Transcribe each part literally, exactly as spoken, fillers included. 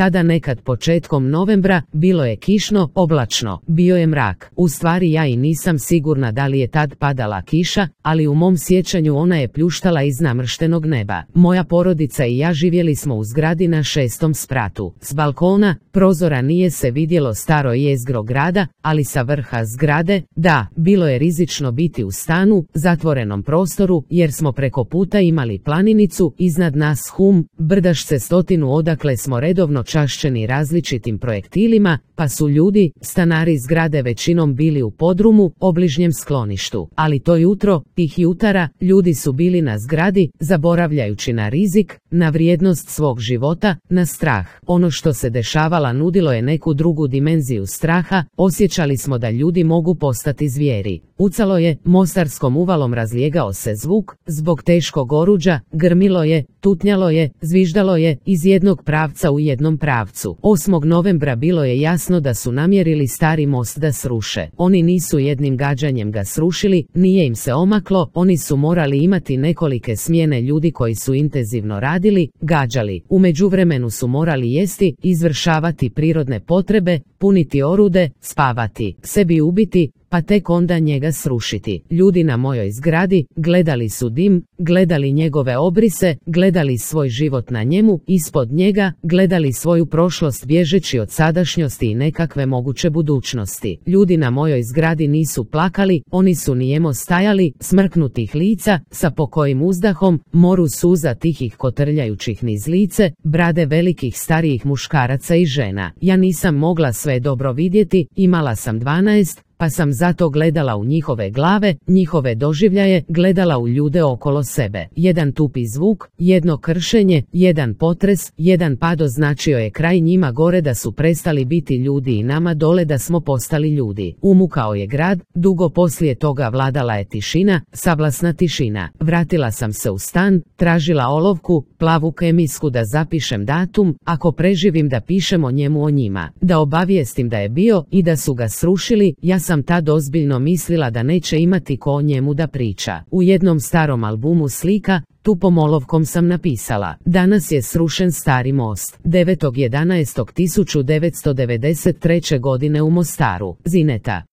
Tada nekad početkom novembra bilo je kišno, oblačno, bio je mrak. U stvari ja i nisam sigurna da li je tad padala kiša, ali u mom sjećanju ona je pljuštala iz namrštenog neba. Moja porodica i ja živjeli smo u zgradi na šestom spratu. S balkona, prozora nije se vidjelo staro jezgro grada, ali sa vrha zgrade, da, bilo je rizično biti u stanu, zatvorenom prostoru, jer smo preko puta imali planinicu, iznad nas hum, brdašce stotinu odakle smo redovno čašćeni različitim projektilima, pa su ljudi, stanari zgrade većinom bili u podrumu, obližnjem skloništu. Ali to jutro, tih jutara, ljudi su bili na zgradi, zaboravljajući na rizik, na vrijednost svog života, na strah. Ono što se dešavala nudilo je neku drugu dimenziju straha, osjećali smo da ljudi mogu postati zvijeri. Ucalo je, mostarskom uvalom razlijegao se zvuk, zbog teškog oruđa, grmilo je, tutnjalo je, zviždalo je, iz jednog pravca u jednom pravcu. osmog novembra bilo je jasno da su namjerili stari most da sruše. Oni nisu jednim gađanjem ga srušili, nije im se omaklo, oni su morali imati nekolike smjene ljudi koji su intenzivno radili, gađali. U međuvremenu su morali jesti, izvršavati prirodne potrebe, puniti orude, spavati, sebi ubiti, pa tek onda njega srušiti. Ljudi na mojoj zgradi gledali su dim, gledali njegove obrise, gledali svoj život na njemu, ispod njega, gledali svoju prošlost bježeći od sadašnjosti i nekakve moguće budućnosti. Ljudi na mojoj zgradi nisu plakali, oni su nijemo stajali, smrknutih lica, sa pokojim uzdahom, moru suza tihih kotrljajućih niz lice, brade velikih starijih muškaraca i žena. Ja nisam mogla sve dobro vidjeti, imala sam dvanaest, pa sam zato gledala u njihove glave, njihove doživljaje, gledala u ljude okolo sebe. Jedan tupi zvuk, jedno kršenje, jedan potres, jedan pad označio je kraj njima gore da su prestali biti ljudi i nama dole da smo postali ljudi. Umukao je grad, dugo poslije toga vladala je tišina, savlasna tišina. Vratila sam se u stan, tražila olovku, plavu kemijsku da zapišem datum, ako preživim da pišem o njemu o njima. Da obavijestim da je bio i da su ga srušili, ja sam sam tad ozbiljno mislila da neće imati ko o njemu da priča. U jednom starom albumu slika, tupom olovkom sam napisala: danas je srušen stari most. devetog jedanaestog tisuću devetsto devedeset treće. godine u Mostaru. Zineta.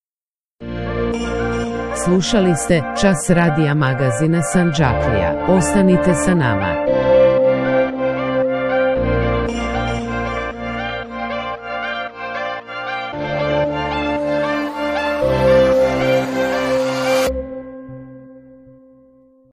Slušali ste Čas radija magazina Sandžaklija. Ostanite sa nama.